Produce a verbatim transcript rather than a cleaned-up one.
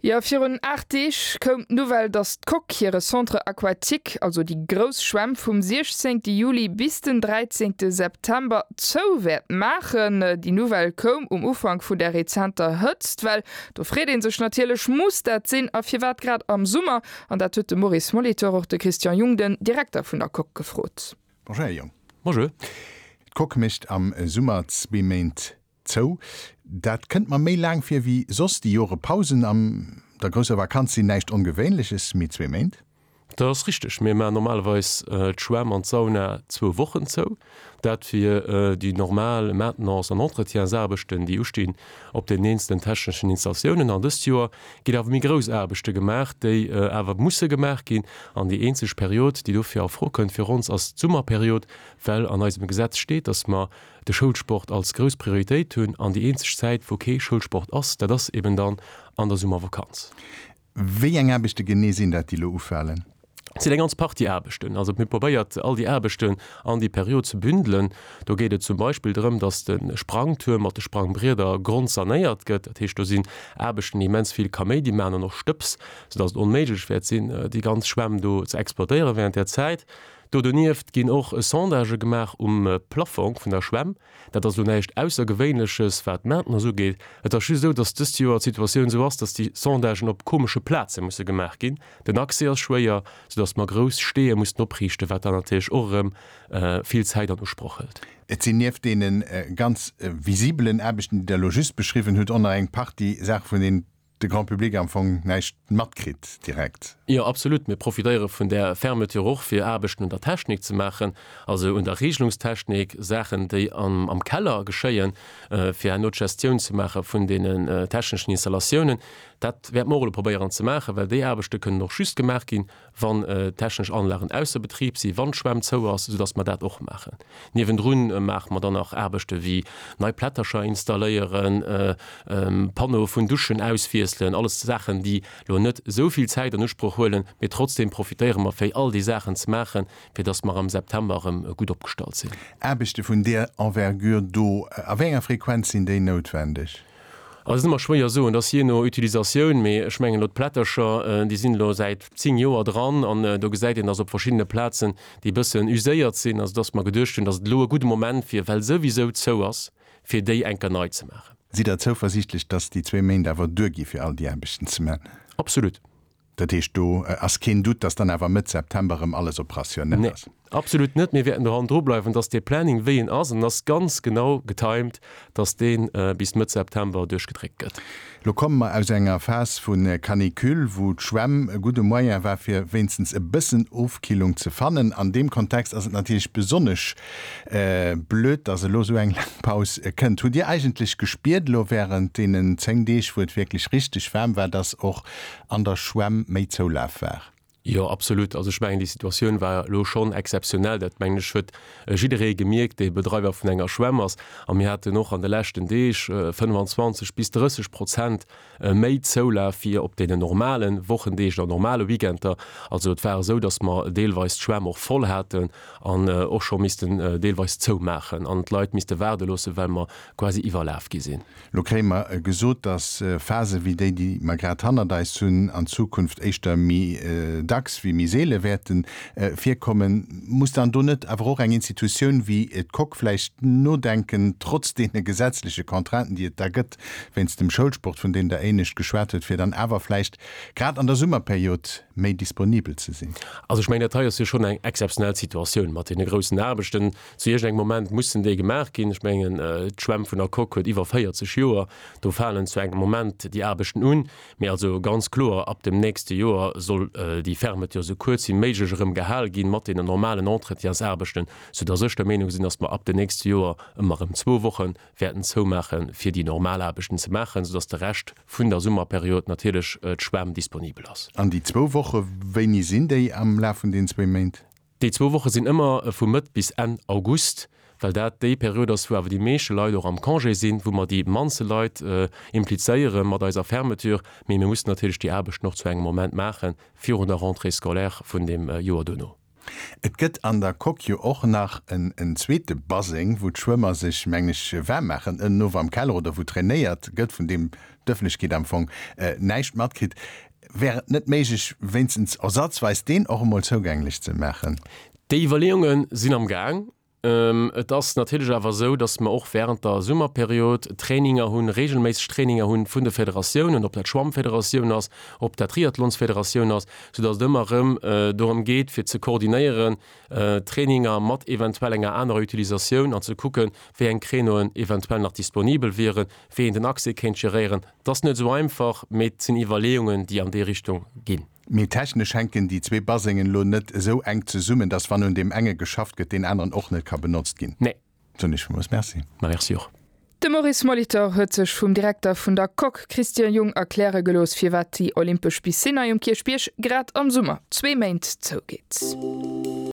Jo, virun aacht Deeg koum d'Nouvelle, dass d'Coque hire Centre aquatique, also déi grouss Schwämm, vum siechzéngte Juli bis den dräizéngte September zou wäert maachen. Déi Nouvelle koum um Ufank vun der rezenter Hëtztwell. Do freet ee sech natierlech, Muss dat sinn a firwat grad am Summer? An dat huet de Maurice Molitor och de Christian Jung, den Direkter vun der Coque, gefrot. Bonjour Här Jung. Bonjour. D'Coque mécht am Summer zwee Méint zou. Dat kënnt mer méi laang vir wéi soss. Déi Jore Pausen an der grousser Vakanz sinn näischt Ongewéinleches, mee zwee Méint? Dat ass richteg. Mir maachen normalerweis d'Schwämm an d'Sauna zwou Wochen zou. Dat fir déi normal Maintenance an Entretiensaarbechten, déi ustinn op den eenzelen techneschen Installatiounen. An dëst Joer ginn awer méi grouss Aarbechte gemaach, déi awer musse gemaach ginn. An déi eenzeg Period, déi dofir a Fro kënnt fir ons, ass d'Summerperiod, well an eisem Gesetz steet, dass mer de Schoulsport als grouss Prioritéit hunn an déi eenzeg Zäit, wou kee Schoulsport ass, dat ass eben dann an der Summervakanz. Wéi eng Aarbechte genee sinn dat, déi elo ufalen? Et sinn eng ganz Partie Aarbechten. Also mir probéiert, all déi Aarbechten an déi Period ze bündelen. Do geet et zum Beispill drëm, datt de Sprangtuerm mat de Sprangbrieder grondsanéiert gëtt. Dat heescht, do sinn Aarbechten, déi immens vill Kaméidi maachen an och Stëbs, soudatt et onméiglech wäert sinn, déi ganz Schwämm do ze exploitéiere während där Zäit. Do donieft ginn och Sondagë gemaach um Plaffong vun der Schwämm. Dat ass elo näischt Aussergewéinleches, wat d'Maintenance ugeet. Et ass just esou, datt dëst Joer d'Situatioun esou ass, datt déi Sondagen op komesche Plaze musse gemaach ginn. Den Accès ass schwéier, soudatt mer grouss Steeë mussen opriichten, wat dann natierlech och erëm vill Zäit an Usproch hëlt. Et sinn nieft deene ganz visibelen Aarbechten, déi Der elo just beschriwwen hutt, och nach eng Partie Saache vun deenen de Grand public am Fong näischt matkritt direkt. Jo, absolut. Mir profitéiere vun där Fermeture och, fir Aarbechten un der Technik ze maachen, also un der Regelungstechnik, Saachen, déi am Keller geschéien, fir herno d'Gestioun ze maache vun deenen techneschen Installatiounen. Dat wäerte mer och elo probéieren ze maachen, well déi Aarbechte kënnen och just gemaach ginn, wann d'technesch Anlagen ausser Betrib sinn, wann d'Schwämm zou ass, soudass mer dat och maachen. Niewendrun maache mer dann nach Aarbechte wéi nei Plättercher installéieren, Panneaue vun Duschen auswiesselen, alles Saachen, déi elo net esou vill Zäit an Usproch huelen, mee trotzdem profitéiere mer fir all déi Saachen ze maachen, fir dass mer am September erëm gutt opgestallt sinn. Aarbechte vun där Envergure do, a wéi enger Frequenz sinn déi noutwendeg? Also et ass ëmmer schwéier soen, et ass jee no Utilisatioun, mee ech mengen elo d'Plättercher, déi sinn elo säit zéng Joer dran an do gesäit een, datt op verschiddene Plazen déi e bëssen uséiert sinn, also datt mer geduecht hunn, datt et elo e gudde Moment wier, well souwisou zou ass, fir déi eng Kéier nei ze maachen. Sidd Der zouversiichtlech, datt déi zwee Méint awer duergi fir all déi Aarbechten ze maachen? Absolut. Dat heescht, do ass keen Doute, dass dann awer Mëtt September erëm alles operationnel ass? Nee, absolut net. Mir wäerten do hannendru bleiwen, dass dee Planning, wéi en ass, en ass ganz genau getimed, dass dee bis Mëtt September duerchgedréckt gëtt. Lo komme mer aus enger Phas vu Canicule, wou d'Schwämm e gudde Moyen war, fir wéinstens e bëssen Ofkillung ze fannen. An deem Kontext ass et natierlech besonnesch blöd, dass elo esou eng laang Paus kënnt. Hutt Dir eigentlech gespiert elo wärend deenen zéng Deeg, wou et wierklech richteg waarm war, dass och an der Schwämm méi Zoulaf war? Jo, absolut. Also ech mengen, déi Situatioun war elo schonn exzeptionell. Dat, mengen ech, huet jidderee gemierkt, dee Bedreiwer vun enger Schwämm ass. A mir haten och an de leschten Deeg fënnfanzwanzeg bis drësseg Prozent méi Zoulaf wéi op deenen normale Wochendeeg oder normale Weekender. Also et war esou, datt mer deelweis d'Schwämm och voll haten an och scho missten deelweis zoumaachen an d'Leit misste waarde loossen, well mer quasi iwwerlaf gi sinn. Lo kréie mer gesot, dass Phase wéi déi, déi mer grad hannert eis hunn, an Zukunft éischter méi dacks wéi méi seele wäerte virkommen. Muss dann do net awer och eng Institutioun wéi d'Coque vläicht nodenken, trotz deene gesetzleche Contrainten, déi et da gëtt wéinst dem Schoulsport, vun deem Der éinescht geschwat hutt, fir dann awer vläicht grad an der Summerperiod méi disponibel ze sinn? Also ech mengen, dat hei ass jo schonn eng exzeptionell Situatioun mat deene groussen Aarbechten. Zu iergendengem Moment mussen déi gemaach ginn. Ech mengen, d'Schwämm vun der Coque huet iwwer véierzeg Joer. Do falen zu engem Moment déi Aarbechten un. Mee also ganz kloer, ab dem nächste Joer soll déi Fermeture esou kuerz wéi méiglech erëm gehal ginn, mat deenen normalen Entretiensaarbechten, soudass ech der Meenung sinn, dass mer ab dem nächste Joer ëmmer erëm zwou Woche wäerten zoumaachen, fir déi normal Aarbechten ze maachen, soudass de Rescht vun der Summerperiod natierlech d'Schwämm disponibel ass. An déi zwou Woche, wéini sinn déi am Laf vun deenen zwéi Méint? Déi zwou Woche sinn ëmmer vu Mëtt bis Enn August, well dat déi Period ass, wou awer déi meeschte Leit och am Congé sinn, wou mer déi mannste Leit implizéiere mat eiser Fermeture. Mee mir mussen natierlech déi Aarbechten och zu engem Moment maachen, virun der Rentrée scolaire vun deem Joer duerno. Et gëtt an der Coque jo och nach en en zweete Baseng, wou d'Schwëmmer sech, mengen ech, waarm maachen, ënnen of am Keller oder wou trainéiert gëtt, vun deem d'Ëffentlechkeet am Fong näischt matkritt. Wär et net méiglech, wéinstens ersatzweis deen och emol zougänglech ze maachen? Déi Iwwerleeunge sinn am Gaang. Et ass natierlech awer esou, datt mer och während der Summerperiod Traininger hunn, regelméisseg Traininger hunn vun de Federatiounen, ob dat d'Schwammfederatioun ass, ob dat d'Triathlonsfederatioun ass, soudatt et ëmmer erëm dorëm geet, fir ze koordinéieren, Traininger mat eventuell enger anerer Utilisatioun an ze kucken, wéi eng Créneauen eventuell nach disponibel wieren, wéi een den Accès kéint geréieren. Et ass net esou einfach, mee et sinn Iwwerleeungen, déi an déi Richtung ginn. Mee technesch hänken déi zwee Basengen elo net esou enk zesummen, dass wann un deem enge geschafft gëtt, deen aneren och net ka benotzt ginn. Nee. Soen ech villmools Merci. Ma merci och. De Maurice Molitor huet sech vum Direkter vun der Coque, Christian Jung, erkläre gelooss, firwat déi olympesch Piscine hei um Kierchbierg grad am Summer zwee Méint zougeet.